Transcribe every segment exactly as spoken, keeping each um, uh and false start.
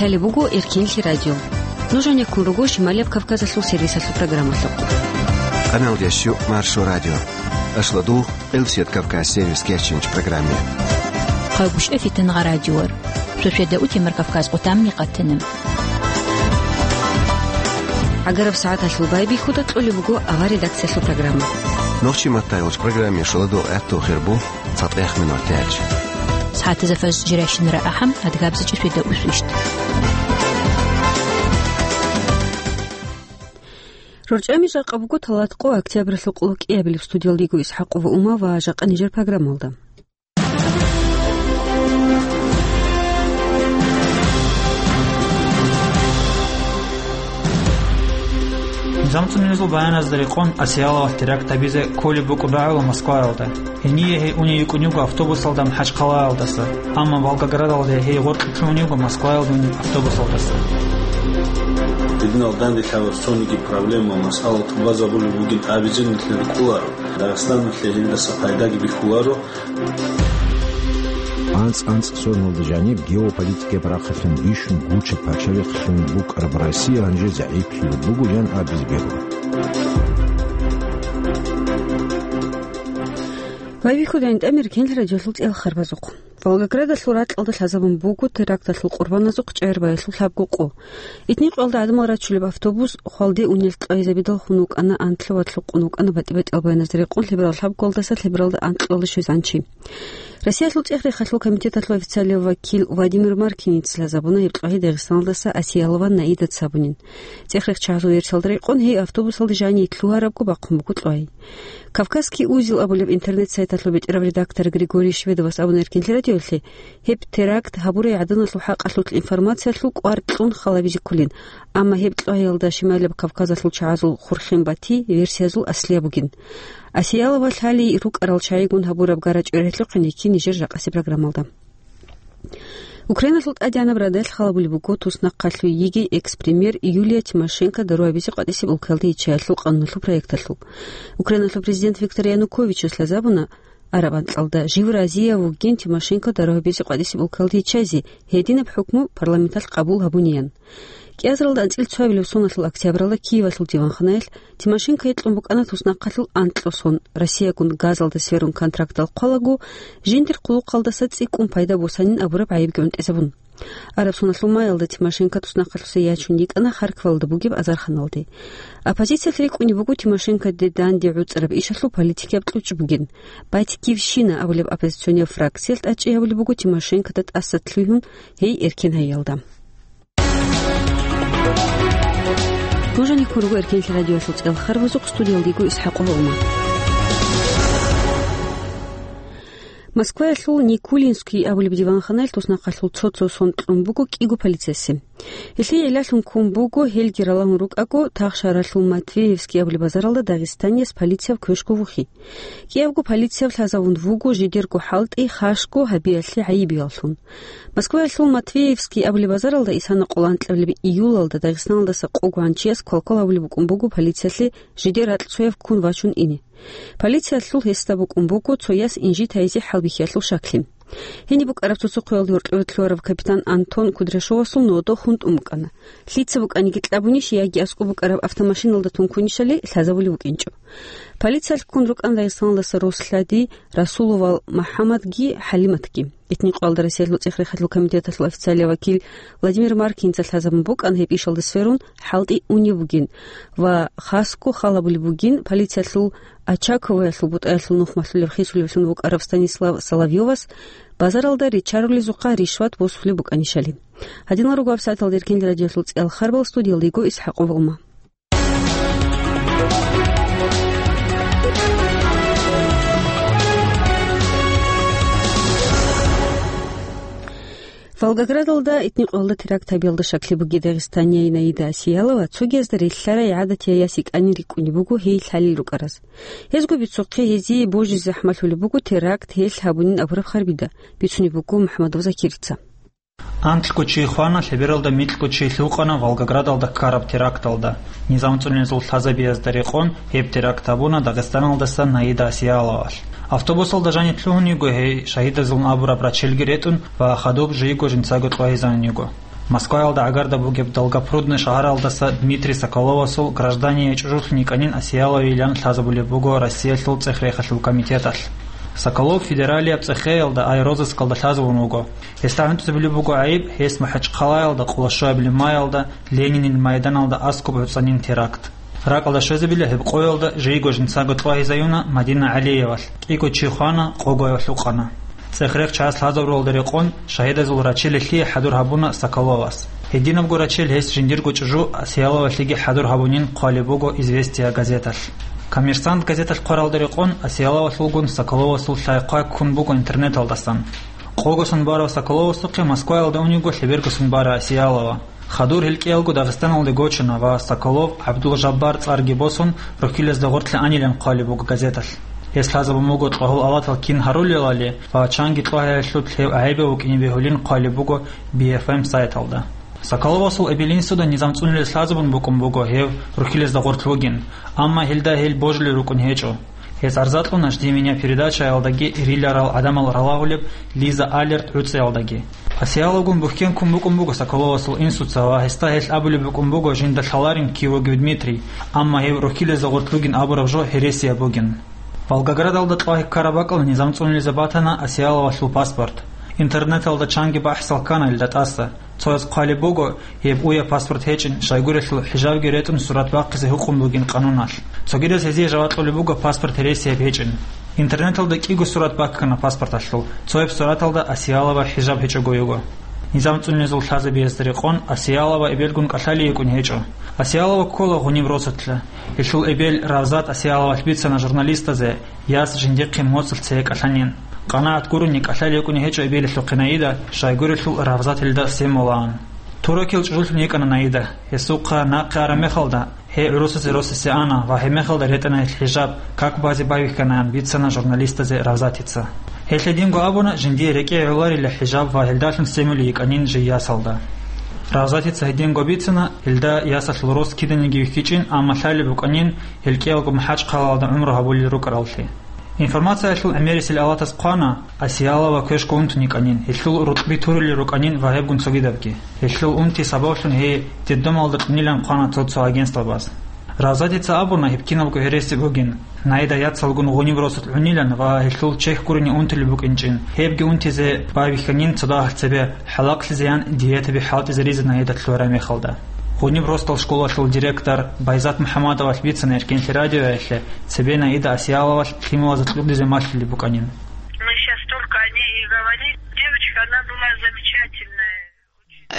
Гьале буго Эркенлъи радио. Нуж гьанеккун руго Шималияб Кавказалъул сервисалъул программалъухъ. Къаналдеш щу Маршо радио. Ашлу дугъ Элсет Кавказ сервис кечинч программе. Хъагушев Фитангъа радиор. Шошеда утемар Кавказ къутамни къатана. ГӀагараб сагӀаталъул байбихьуда кьолеб буго авар редакциялъул программа. Нохчи маттайолч программе шуладу гӀатту хирбу. ЦатӀех минут тяч. СагӀатазда фаз жирайщинара ахӀам, адгабза чӀишвида усвищт. РорчӀами жакъа буго талат къо октябралъул къуллукъиябилеб. Студиялда йиго ИсхӀакъова Ума ва жакъа нижер программалда. НизамцӀцӀунезул баяназда рекъон Асияловалъ теракт гьабизе кколеб букӀун рагӀула Москваялда. Гьение гьей уней йикӀун йиго автобусалда МахӀачхъалаялдаса, амма Волгоградалде гьей гъоркье лъугьун йиго Москваялде унеб автобусалдаса. Гьединал данде лъабаб цониги проблема, масъала тӀубазабулеб бугин абизен нилъер кколаро. Дагъистаналъе гьелдаса пайдаги бихьуларо. АнцӀ-анцӀ соналда жаниб геополитикаяб рахъалъун бищун гучаб пачалихълъун букӀараб Россия гьанже загӀиплъулеб буго, ян абизе бегьула. Байбихьуда гӀинтӀамир кенлъи радиолъул цӀел харбазухъ. Волгоградалъул ракьалда лъазабун буго теракталъул къурбаназухъ чӀегӀер баялъул лъабго къо. Итни-къоялда гӀадамал рачулеб автобус хвалде унел кьвайзабидал хун вукӀана, антлъи ва лъукъун вукӀана батӀи-батӀиял баяназда рекъон лъеберал лъабкъоялдаса лъебералда анкьалда щвезанчи. Россиялъул цӀех-рехалъул комитеталъул официалияв вакил Владимир Маркиница лъазабуна гьеб кьвагьи Дагъистаналдаса Асиялова Наидат сабунин. ЦӀех-рехчагьазул версиялда рекъон, гьей автобусалде жаниб лъугьарабго бахъун буго кьвай. «Кавказский узел» абулеб интернет-сайталъул бетӀерав редактор Григорий Шведовас абуна Эркенлъи радиолъе, гьеб теракт гьабурай гӀаданалъул хӀакъалъулъ информациялъул кӀвар кьун халабизе кколин, амма гьеб кьвагьиялда Шималияб Кавказалъул чагӀазул хурхен бати версиязул аслияб бугин. Асиялова лъалей рукӀарал чагӀигун гьабураб гарачӀой релъухъин йикки нижер жакъасеб программалда. Украиналъул ТӀадегӀанаб Радалъ халабулеб буго туснахъалъуй йигей экс-премьер Юлия Тимошенко дару гьабизе къватӀисеб улкалда йиччаялъул къануналъул проекталъул. Украиналъул президент Виктор Януковичас лъазабуна араб анкьалда, жив разияв вугин Тимошенко дару гьабизе къватӀисеб улкалда йиччайзе, гьединаб хӀукму парламенталъ къабул гьабуниян. КӀиазаралда анцӀила цоабилеб соналъул октябралда Киевалъул диванханаялъ Тимошенкое кьун букӀана туснахъалъул анкьго сон, Россиягун газалда сверун контрактал хъвалаго, жиндир хъулухъалдаса цӀикӀкӀун пайда босанин абураб гӀайибги гӀунтӀизабун. Араб соналъул маялда Тимошенко туснахъалъуса ячун йикӀана Харьковалда бугеб азарханалде. Оппозициялъ рикӀкӀунеб буго Тимошенкоде данде гӀуцӀараб ишалъул политикияб кьучӀ бугин. «Батькивщина» абулеб оппозиционияв фракциялъ тӀадчӀей гьабулеб буго Тимошенкода тӀаса лъугьун гьей эркен гьайиялда. Нуж гьанеккун руго Эркенлъи радиоялъул цӀел харбазухъ, студиялда йиго ИсхӀакъова Ума. Москваялъул Никулинский абулеб диванханаялъ туснахъалъул цо-цо сон кьун буго кӀиго полициясе. Гьелъие гӀиллалъун ккун буго, гьелги ралагьун рукӀаго, Тахшаралъул Матвеевский абулеб базаралда дагъистанияс полицияб квешго вухи. КӀиябго полицияб лъазавун вуго жидерго хӀалтӀи хашго гьабиялъе гӀайибияллъун. Москваялъул Матвеевский абулеб базаралда исана къоло анкьабилеб июлалда Дагъистаналдаса къого гьанчияс квалквал гьабулеб букӀун буго полициялъе жидер ракь цояв ккун вачун ине. Полициялъул гьесда букӀун буго цояс инжитайзе хӀалбихьиялъул шаклъи. Гьениб букӀараб цоцохъоялда гьоркьоб лъугьараб капитан Антон Кудряшовасул нода хунтӀун букӀана. Лъица букӀаниги кьабунищ яги аскӀоб букӀараб автомашиналда тункунищали лъазабулев вукӀинчӀо. Полициялъ ккун рукӀана Дагъистаналдаса Рослъади, Расуловал МахӀаммадги ХӀалиматги. Итни-къоялда Россиялъул цӀех-рехалъул комитеталъул официалияв вакил Владимир Маркинца лъазабун букӀана гьеб ишалда сверун хӀалтӀи унеб бугин ва хасго халабулеб бугин полициялъул Очаковоялъул бутӀаялъул нух малъулеб хисулевлъун вукӀарав Станислав Соловьёвас базаралда ричарулезухъа ришват босулеб букӀанищали. Гьадинал руго гьабсагӀаталда Эркенлъи радиоялъул цӀел харбал, студиялда йиго ИсхӀакъова Ума. Волгоградалда итни къоялда теракт гьабиялда щаклъи буги Дагъистанияй Наида Асиялова цогиязда релълъарай гӀадатияй яс йикӀанин рикӀкӀунеб буго гьей лъалел рукӀараз. Гьезго бицухъе гьезие божизе захӀмалъулеб буго теракт гьелъ гьабунин абураб харбида, бицунеб буго МухӀамадов Закирица. Анкьго чи хвана, лъебералда микьго чи лъукъана Волгоградалда ккараб теракталда. НизамцӀцӀунезул лъазабиязда рекъон гьеб теракт гьабуна Дагъистаналдаса Наида Асияловалъ. Автобусалда жаниб лъугьун йиго гьей, шагьидазулун абураб рачелги ретӀун ва хадуб жийго жинцаго кьвагьизанун йиго. Москваялда гӀагарда бугеб Долгопрудный шагьаралдаса Дмитрий Соколовасул граждание чӀужулъун йикӀанин Осияловайилан лъазабулеб буго Россиялъул цӀех-рехалъул комитеталъ. Соколов федералияб цӀехеялда, айрозыскалда лъазабун вуго. Гьесда гӀунтӀизабулеб буго гӀайиб, гьес МахӀачхъалаялда къоло щуабилеб маялда Ленинил майданалда аскӀоб гӀуцӀанин теракт. Ракьалда щвезабила гьеб къоялда жийго жинцаго тӀлагьизаюна Мадина ГӀалиевалъ, кӀиго чи хвана, къого гьев лъукъана. ЦӀех-рех чияс лъазабуралда рекъон, шагьидазул рачелалъе хӀадур гьабуна Соколовас. Гьединабго рачел гьес жиндирго чӀужу Осияловалъеги хӀадур гьабунин хъвалеб буго «Известия» газеталъ. «Коммерсант» газеталъ хъваралда рекъон, Осияловалъулгун Соколовасул лъай-хъвай ккун буго интернеталдасан. Къого сон барав Соколовасухъе Москваялда унего лъеберго сон бара Осиялова. Хадур гьел кӀиялго Дагъистаналде гочана ва Соколов ГӀабдул-Жаббар цӀарги босун, рохьилезда гъорлъе анилан хъвалеб буго газеталъ. Гьес лъазабун буго тӀлагьул алатал кин гьарулелали ва чанги тӀлагьиялъулъ гьев гӀайибав вукӀине бегьулин хъвалеб буго Би Эф Эм сайталда. Соколовасул эбел-инсуда низам цӀунулез лъазабун букӀун буго гьев рохьилезда гъорлъ вугин, амма гьелда гьел божулел рукӀун гьечӀо. Гьез арза кьуна «Жди меня» передачаялдаги риларал гӀадамал ралагьулеб Лиза Алерт гӀуцӀиялдаги. Осияловгун бухьен ккун букӀун буго Соколовасул инсуца ва гьесда гьелъ абулеб букӀун буго жинда лъаларин кив вугев Дмитрий, амма гьев рохьилезда гъорлъ вугин абураб жо гьересияб бугин. Волгоградалда тӀлагь ккараб бакӀалда низам цӀунулезе батана Осияловалъул паспорт. Интернеталда чанги бахӀсал ккана гьелда тӀаса. Цояз хъвалеб буго, гьеб уяб паспорт гьечӀин, щайгурелъул хӀижабги ретӀун сурат бахъизе гьукъун бугин къануналъ. Цогидаз гьезие жаваб кьолеб буго паспорт гьересияб гьечӀин. Интернеталда кӀиго сурат баккана паспорталъул, цояб сураталда Осиялова хӀижаб гьечӀого йиго. Низам цӀунезул лъазабиязда рекъон Осиялова эбелгун кӀалъалей йикӀун гьечӀо. Осиялова ккола гъуниб росулъа. Гьелъул эбел Равзат Осияловалъ бицана журналистазе, яс жиндихъе моцӀалъ цее кӀалъанин. КъанагӀат гурони кӀалъалей йикӀун гьечӀо эбелалъухъе Наида, щайгурелъул Равзат гьелда семулаан. Турокил чӀужулъун йикӀана Наида. Гьесухъа нахъе араб мехалда, гьей гӀурусазе росасе ана ва гьеб мехалда ретӀана гьел хӀижаб, как базе байбихьанаян бицана журналистазе Равзатица. Гьелъ гьединго абуна, жиндие рекӀее гӀоларила хӀижаб ва гьелдалъун семулей йикӀанин жий ясалда. Равзатица гьединго бицана, гьелда ясалъул рос киданиги вихьичӀин, амма лъалеб букӀанин, гьел кӀиялго МахӀачхъалаялда гӀумру гьабулел рукӀараллъи. Информациялъул гӀемерисел алатас хъвана, Осиялова квешго унтун йикӀанин, гьелъул рукъби турулел рукӀанин ва гьебгун цогидабги. Гьелъул унти сабаблъун гьей детдомалда кьунилан хъвана цо-цо агентствабаз. Равзатица абуна, гьеб кинабго гьереси бугин, Наида яцалгун гъуниб росулъ гӀунилан ва гьелъул чехь гурони унтулеб букӀинчӀин, гьебги унтизе байбихьанин цо дагьалъ цебе, хӀалахълъизеян диетаби хӀалтӀизаризе Наида лъугӀараб мехалда. Гъуниб росдал школалъул директор Байзат МухӀаммадовалъ бицана Эркенлъи радиоялъе, цебе Наида Осияловалъ лъималазда кьурдизе малъулеб букӀанин. Мы щас только о ней и говорим. Девочка, она была замечательная.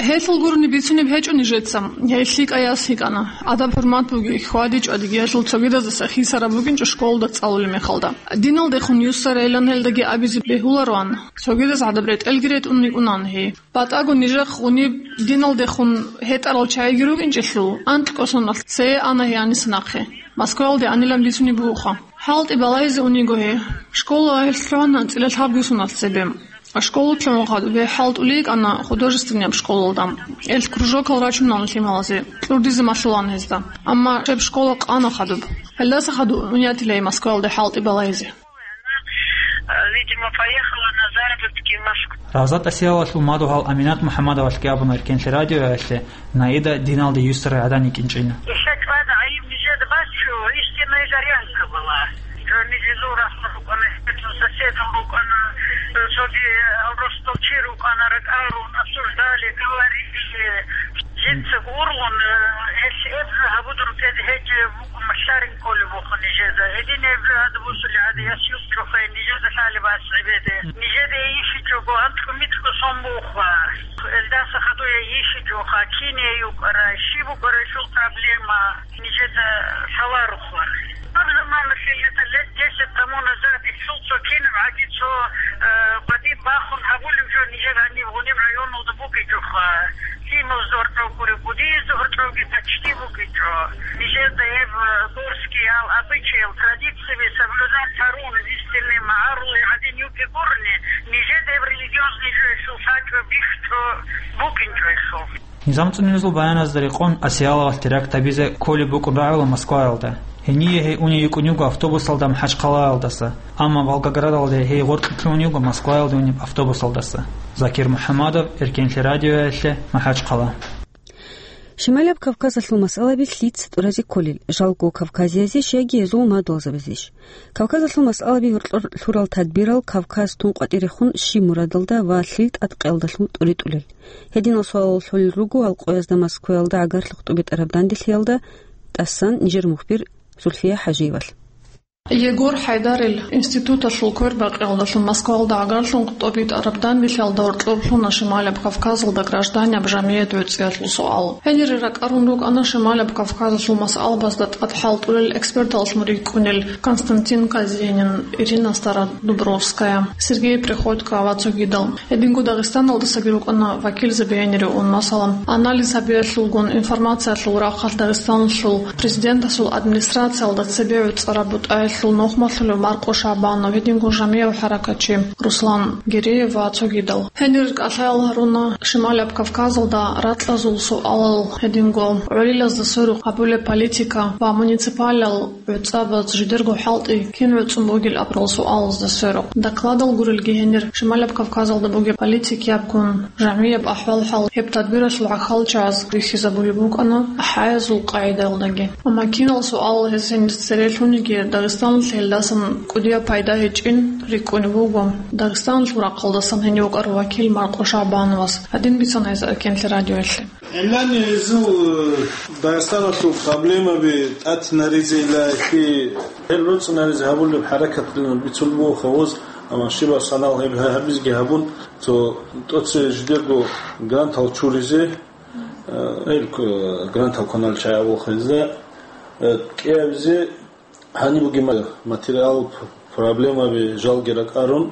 Гьелъул гурони бицунеб гьечӀо нижеца. Гьей лъикӀа яс йикӀана. Адаб-хӀурмат бугей, хьвади-чӀвадиги гьелъул цогидазаса хисараб букӀинчӀо школалда цӀалулеб мехалда. Диналдехун юссарайилан гьелдаги абизе бегьулароан. Цогидаз гӀадаб ретӀелги ретӀун йикӀунан гьей. БатӀаго нижехъ гъуниб диналдехун гьетӀарал чагӀиги рукӀинчӀелъул, анкь кӀосуналъ цее ана гьей гьаниса нахъе. Москваялде анилан бицунеб бугоха. ХӀалтӀи балайзе униго гьей. Школа гьелъ лъугьана анцӀила лъабго соналъ цебе. Школа лъугӀун хадуб гьей хӀалтӀулей йикӀана художественнияб школалда. Гьелъ кружокал рачунан лъималазе, кьурдизе малъулаан гьезда. Амма гьеб школа къана хадуб. Гьелдаса хадуб унятила гьей Москваялде хӀалтӀи балайзе. Видимо, поехала на заработки в Москву. Равзат Осияловалъул мадугьал Аминат МухӀаммадовалъги абуна Эркенлъи радиоялъе, Наида диналде юссарай гӀадан йикӀинчӀин. Ишат вада гӀайиб нижеда бачу, истинная горянка была. Жо нижезул рахъа рукӀана, гьечӀо соседал рукӀана, цоги авростал чи рукӀана, ракӀарун, обсуждали, говорили. Жинца гурлун, э, гьелъ эб жо гьабудун тӀед гьечӀеб букӀун, лъарин кколеб бухъун нижеда. Гьедин эб жо гьадаб бусулеб гӀадин, яс юкъ чӀухъе, нижеда лъалеб асгӀебеде. Нижеда йищичӀого, анкьго-микьго сон буха. Элдаса хадуя йищичӀоха, киние юкӀара, щиб букӀара щул проблема, нижеда лъаларухъа. Гьаб заманалъе, это лет десять тому назад, ишул цо кинаб гӀаги цо, э, къватӀиб бахун гьабулев жо нижер гьаниб гъуниб районалда бугичӀоха. Лъималазда гьоркьов гури, будиязда гьоркьовги почти бугичӀо. Нижеда гьеб, э, горскиял, обычаял, традицияби соблюдать гьарун, истинный магӀарулай гӀадин юкӀи гурони, нижеда гьеб религиозный жо ишул лъачӀо, бихьчӀо, букӀинчӀо ишул. Низам цӀунезул баяназда рекъон, Осияловалъ теракт гьабизе кколеб букӀун рагӀула Москваялда. Гьение гьей уней йикӀун йиго автобусалда МахӀачхъалаялдаса, амма Волгоградалде гьей гъоркьлъун йиго Москваялде унеб автобусалдаса. Закир МухӀаммадов, Эркенлъи радиоялъе, МахӀачхъала. Шималаб Кавказалъул масъалаби лъица тӀуразе кколел, жалго кавказиязеш яги гьезул мадугьалзабазеш? Кавказалъул масъалаби гьоркьор лъурал тадбирал Кавказ тун къватӀирехун щиб мурадалда ва лъил тӀадкъиялдалъун тӀуритӀулел? Гьединал суалал лъолел руго Алкъоязда Москваялда гӀагарлъухъ тӀубитӀараб данделъиялда тӀасан нижер мухбир Зульфия ХӀажиевалъ. Егор ХӀайдарил институталъул квербакъиялдалъун Москваялда гӀагарлъун тӀубитӀараб данделъиялда гьоркьоб лъуна Шималаб Кавказалда гражданияб жамгӀият гӀуцӀиялъул суал. Гьенире ракӀарун рукӀана Шималаб Кавказалъул масъалабазда тӀад хӀалтӀулел эксперталъун рикӀкӀунел Константин Казенин, Ирина Стародубровская, Сергей Приходько ва цогидал. Гьединго Дагъистаналдасаги рукӀана вакилзаби гьенире ун, масала, анализ гьабиялъулгун, информациялъул рахъалъ Дагъистаналъул президентасул администрациялда цебе гӀуцӀараб бутӀаялъул нухмалъулев Маркъо ШагӀбанов, гьединго жамгӀияв хӀаракатчи Руслан Гиреев ва цогидал. Гьенир кӀалъаял гьаруна Шималаб Кавказалда ракьазул суалал, гьединго гӀолилазда сверухъ гьабулеб политика ва муниципалал гӀуцӀабаз жидерго хӀалтӀи кин гӀуцӀун бугел абурал суалазда сверухъ. Докладал гурелги гьенир, Шималаб Кавказалда бугеб политикиябгун, жамгӀияб ахӀвал-хӀал, гьеб тадбиралъул гӀахьалчагӀаз рихьизабулеб букӀана ахӀаязул къагӀидаялдаги. Амма кинал суал гьез гьениса цере лъуниги, Дагъистаналъе гьелдасан кӀудияб пайда гьечӀин рикӀкӀунеб буго Дагъистаналъул рахъалдасан гьенив вукӀарав вакил Маркъо ШагӀбановас, гьадин бицана гьес Эркенлъи радиоялъе. ГӀемерани гьезул, э, Дагъистаналъул проблемаби тӀатинаризе илайхъи, гьел роцӀинаризе гьабулеб хӀаракаталъун бицун буго хавуз, амма щибаб санал гьеб гьабизеги гьабун, цо тӀоце жидерго грантал чуризе, э, гьел, э, грантал кваналел чагӀи абулха гьезда, э, кӀиабизе. Гьаниб бугеб ма-, материал, п-, проблемаби жалги ракӀарун,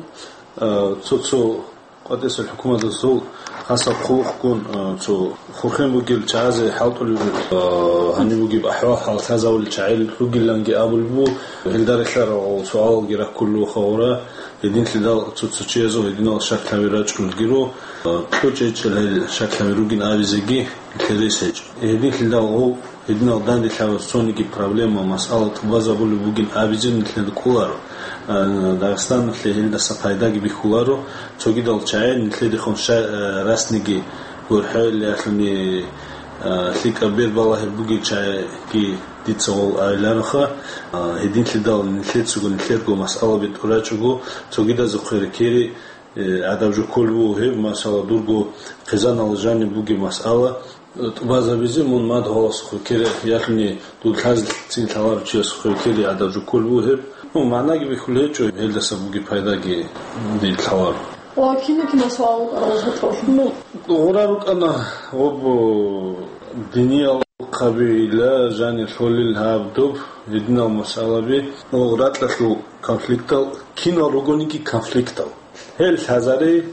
а, цо-цо къватӀисел хӀукуматалъул хасаб хъулухъгун, а, цо хурхен бугел чагӀазе хӀалтӀулеб, а, гьаниб бугеб ахӀвал-хӀал лъазавулел чагӀи ругиланги абулеб буго, гьелда релълъарал суалалги раккулел руго гьора, гьединлъидал цо-цо чиясул гьединал шаклъаби рачӀунелги руго, а, кьучӀ гьечӀел гьел шаклъаби ругин абизеги нилъер рес гьечӀо. Гьединлъидал гъов Гьединал данделъарал цониги проблема, масъала тӀубазабулеб бугин абизе нилъеда кӀоларо. А, Дагъистаналъе гьелдаса пайдаги бихьуларо, цогидал чагӀи нилъедехун ша-, а, расниги гурхӀелиялъуни, а, лъикӀаб бербалагьи бугел чагӀиги дица гъол айилароха. А, гьединлъидал нилъецаго нилъерго масъалаби тӀурачӀого, цогидазухъе рекери, э, гӀадаб жо кколеб буго гьеб, масала, дурго хъизанал жаниб бугеб масъала, тӀубазабизе мун мадугьаласухъе ккере, ялъуни дур лъазецин лъаларав чиясухъе ккере гӀадаб жо кколеб буго гьеб. Ну, магӀнаги бихьулеб гьечӀо, гьелдаса бугеб пайдаги дие лъаларо. Ва кинаб-кинаб суал рукӀарал гьечӀо? Ну, гъура рукӀана, гъоб, диниял хъабила жанир лъолел гьаб доб гьединал масъалаби, ну, ракьалъул конфликтал, кинал ругониги конфликтал. Гьел лъазари,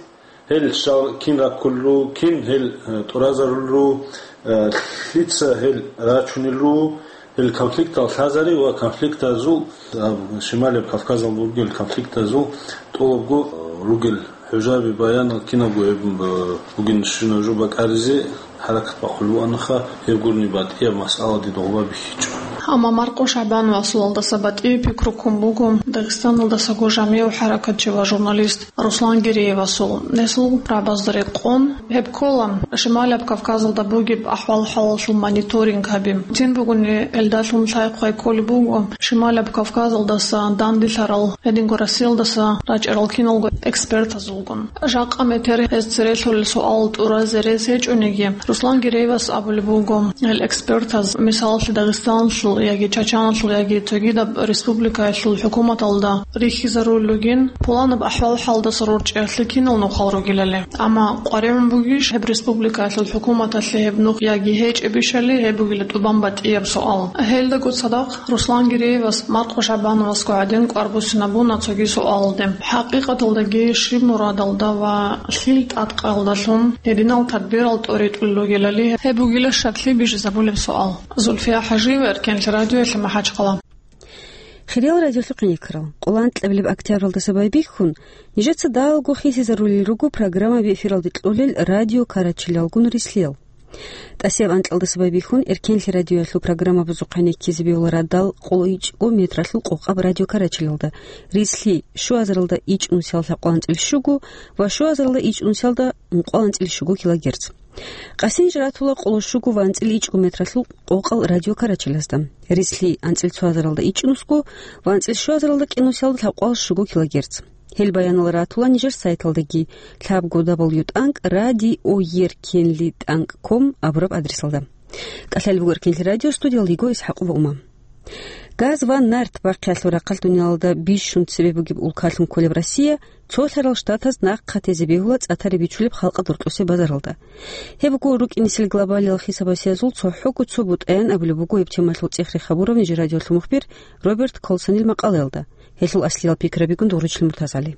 гьел щал кин раккулел руго, кин гьел, э, тӀуразарулел руго, э, лъица гьел рачунел руго, гьел конфликтал лъазари ва конфликтазул, э, Шималияб Кавказал бугел конфликтазул тӀолабго, э, ругел хӀужаби, баянал кинабго гьеб, э, бугин щинаб жо бакӀаризе хӀаракат бахъулеб бугонаха, гьеб гурони батӀияб масъала дида гъоба бихьичӀо. Амма Маркъо ШагӀбановасул гьалдаса батӀияб пикру ккун буго Дагъистаналдасаго жамгӀияв хӀаракатчи ва журналист Руслан Гиреевасул. Гьесул рагӀабазда рекъон, гьеб ккола Шималияб Кавказалда бугеб ахӀвал-хӀалалъул мониторинг гьаби. Цин бугони, гьелдалъун лъай-хъвай кколеб буго Шималияб Кавказалдаса данделъарал, гьединго Россиялдаса рачӀарал киналго экспертазулгун. Жакъа метер гьез церелъулел суал тӀуразе рес гьечӀониги, Руслан Гиреевас абулеб буго, гьел экспертаз, мисалалъе, Дагъистаналъул яги Чачаналъул яги цогидаб республикаялъул хӀукуматалда рихьизарулел ругин, пуланаб ахӀвал-хӀалдаса рорчӀиялъе кинал нухал ругелали. Амма къваригӀун бугищ гьеб республикаялъул хӀукуматалъе гьеб нух яги гьечӀебищали, гьеб бугила тӀубан батӀияб суал. Гьелдаго цадахъ Руслан Гиреевас Маркъо ШагӀбановасго гӀадин кӀвар буссинабуна цоги суалалде. ХӀакъикъаталдаги щиб мурадалда ва лъил тӀадкъалдалъун гьединал тадбирал тӀоритӀулел ругелали, гьеб бугила щаклъи бижизабулеб суал. Зульфия ХӀажиева, Эркенлъи радиоялъе, МахӀачхъала. Хириял радиолъухъин йикарал, къоло анкьабилеб октябралдаса байбихьун, нижеца далго хисизарулел руго программаби эфиралде кьолел радио карачилалгун рислъиял. ТӀасияб анкьалдаса байбихьун, Эркенлъи радиоялъул программабазухъе ккезе бегьула радал къоло ичӀго метралъул къокъаб радиокарачалилда, рицлъи щуазаралда ичӀ нусиялда лъабкъоялда анцӀила щуго ва щуазаралда ичӀ нусиялда ункъоялда анцӀила щуго килогерц. Къасинжир ратула къоло щуго ва анцӀила ичӀго метралъул къокъал радиокарачалазда, рицлъи анцӀила цоазаралда ичӀ нусго ва анцӀила щуазаралда кӀи нусиялда лъабкъоялда щуго килогерц. Гьел баянал ратула нижер сайталдаги, лъабго дабл ю тӀанкӀ радио еркенли тӀанкӀ ком абураб адресалда. КӀалъалеб буго Эркенлъи радио, студиялда йиго ИсхӀакъова Ума. Газ ва нарт бахъиялъул рахъалъ дуниялалда бищун цебе бугеб улкалъун кколеб Россия цолъарал штатаз нахъа тезе бегьула цӀа-тари бичулеб халкъалда рокьосеб базаралда. Гьеб буго рукӀинесел глобалиял хисабасиязул цохӀого цо бутӀаян абулеб буго гьеб темалъул цӀех-рех гьабурав нижер радиоялъул мухбир Роберт Колсонил макъалаялда. Гьелъул аслиял пикрабигун дугӀручилин МуртазгӀали.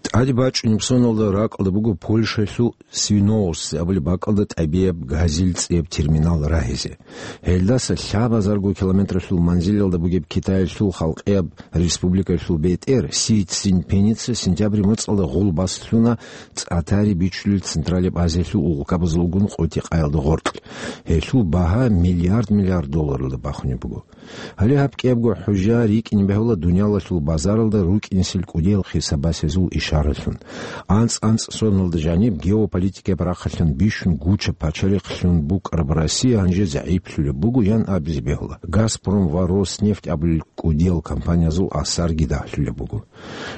ТӀаде бачӀунеб соналда ракӀалда буго Польшаялъул Свинооссе абулеб бакӀалда тӀабияб газил цӀияб терминал рагьизе. Гьелдаса лъабазарго километралъул манзилалда бугеб Китаялъул халкъияб республикаялъул бетӀер Си Цзиньпиница сентябрь моцӀалда гъул баслъуна цӀа-тари бичулел Централияб Азиялъул улкабазулгун къотӀи-къаялда гъоркь. Гьелъул багьа миллиард-миллиард долларалда бахунеб буго. Гьале гьаб кӀиябго хӀужа рикӀкӀине бегьула дуниялалъул базаралда рукӀинесел кӀудиял хисабасезул ишаралъун. АнцӀ-анцӀ соналда жаниб геополитикаяб рахъалъан бищун гучаб пачалихълъун букӀараб Россия гьанже загӀиплъулеб буго, ян абизе бегьула, «Газпром» ва «Роснефть» абулел кӀудиял компаниязул асарги дагьлъулеб буго.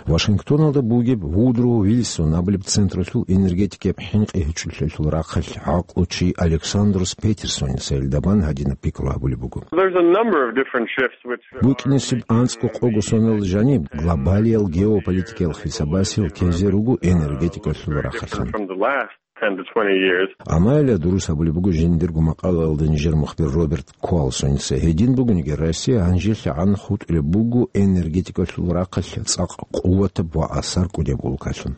Вашингтоналда бугеб Вудро Вильсон абулеб централъул энергетикаяб хӀинкъи гьечӀолъиялъул рахъалъ гӀакълучи Александрос Петерсоница гьелда бан гьадинаб пикру гьабулеб буго. There's a number of different shifts which are БукӀинесеб анцӀго-къого соналда жаниб глобалиял геополитикаял хисабасел ккезе руго энергетикалъул рахъалъан. From the last ten to twenty years. Амма гьеле дурус гьабулеб буго жиндирго макъалаялда нижер мухбир Роберт Колсоница. Гьедин бугониги, Россия гьанжелъагӀан хутӀулеб буго энергетикалъул рахъалъ цӀакъ къуватаб ва асар кӀудияб улкалъун.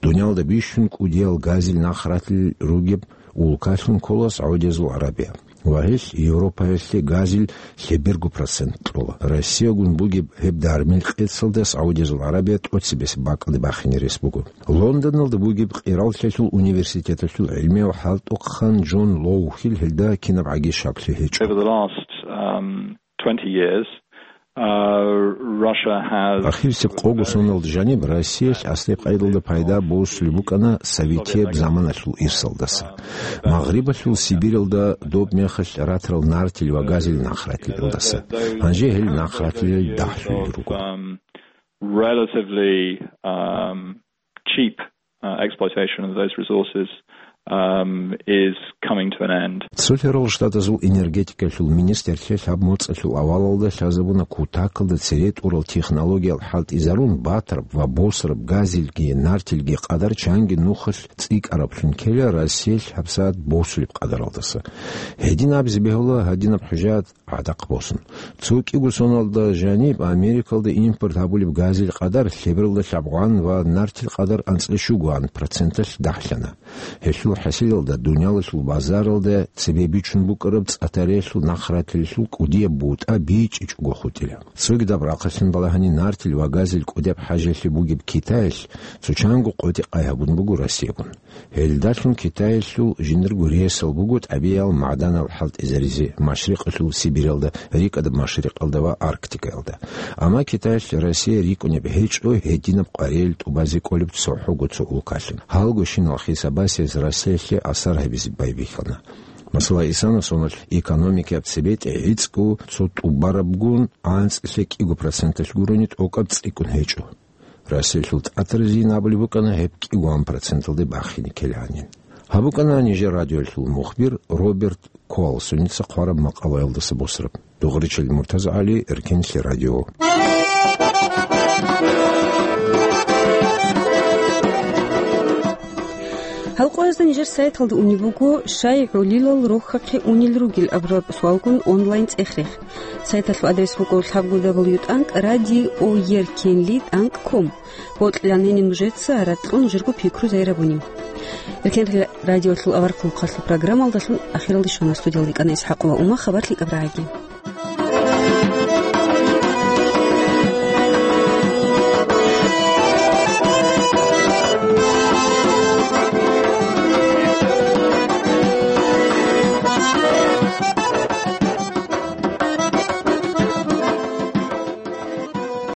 Дуниялда бищун кӀудиял газил нахъратил ругеб улкалъун ккола СагӀудиязул ГӀарабия. Ва гьелъ Европаялъе газил лъеберго процент кьола. Россиягун бугеб гьеб дармил къецалда СагӀудиязул ГӀарабия тӀоцебесеб бакӀалде бахине рес буго. Лондоналда бугеб Къираллъиялъул университеталъул гӀилмияв хӀалтӀухъан Джон Лоухил гьелда кинаб гӀаги щаклъи гьечӀо. Over the last, um, twenty years, uh, Russia has Ахирисеб къого соналда жаниб Россиялъ аслияб къайдалда пайда босулеб букӀана советияб заманалъул ирсалдаса, Магърибалъул Сибиралда доб мехалъ ратарал нартил ва газил нахъратилалдаса. Гьанже гьел нахъратилел дагьлъулел руго. Um, relatively, um, cheap, uh, exploitation of those resources, um, is coming to an end. Цолъарал Штатазул энергетикалъул министрлъи лъаб моцӀалъул авалалда лъазабуна кутакалда цере тӀурал технологиял хӀалтӀизарун батараб ва босараб газилги нартилги къадар чанги нухалъ цӀикӀкӀараблъун ккела Россиялъ гьабсагӀат босулеб къадаралдаса. Гьедин абизе бегьула гьадинаб хӀужаят гӀадахъ босун. Цо кӀиго соналда жаниб Америкалда импорт гьабулеб газил къадар лъебералда лъабгъан ва нартил къадар анцӀила щугоан проценталъ дагьлъана. Гьелъул хӀасилалда дуниялалъул базаралда цебе бичун букӀараб цӀа-тариялъул нахъратилелъул кӀудияб бутӀа бичӀчӀичӀого хутӀила. Цогидаб рахъалъан балагьани нартил ва газил кӀудияб хӀажалъи бугеб Китаялъ цо чанго къотӀи-къай гьабун буго Россиягун. Гьелдалъун Китаялъул жиндирго ресал буго тӀабигӀиял магӀданал хӀалтӀизаризе Машрикъалъул Сибиралда, РикӀадаб Машрикъалда ва Арктикаялда. Амма Китаялъ Россия рикӀкӀунеб гьечӀо гьединаб къваригӀел тӀубазе кӀолеб цохӀого цо улкалъун. Гьалгощинал хисабасез Россиялъе асар гьабизе байбихьана. Масала, исана соналъ экономикаяб цебетӀи гӀицӀго цо тӀубарабгун анцӀила кӀиго проценталъ гурони тӀокӀаб цӀикӀкӀун гьечӀо. Россиялъул тӀатаризин абулеб букӀана гьеб кӀиго проценталде бахине ккеланин. Гьаб букӀана нижер радиоялъул мухбир Роберт Колсоница хъвараб макъалаялдаса босараб. Дугъричил МуртазгӀали, Эркенлъи радио. Гьал къоязда нижер сайталда унеб буго, щай гӀолилал рохьахъе унел ругел абураб суалгун онлайн цӀех-рех. Сайталъул адрес буго лъабго дабл ю тӀанкӀ радио еркенли тӀанкӀ ком. Бокьилан гьениб нужеца, ракьун нужерго пикру зайрабуни. Эркенлъи радиолъул аварагасул программалдалъун ахиралде щвана, студиялда йикӀана ИсхӀакъова Ума, хабар лъикӀаб рагӀаги.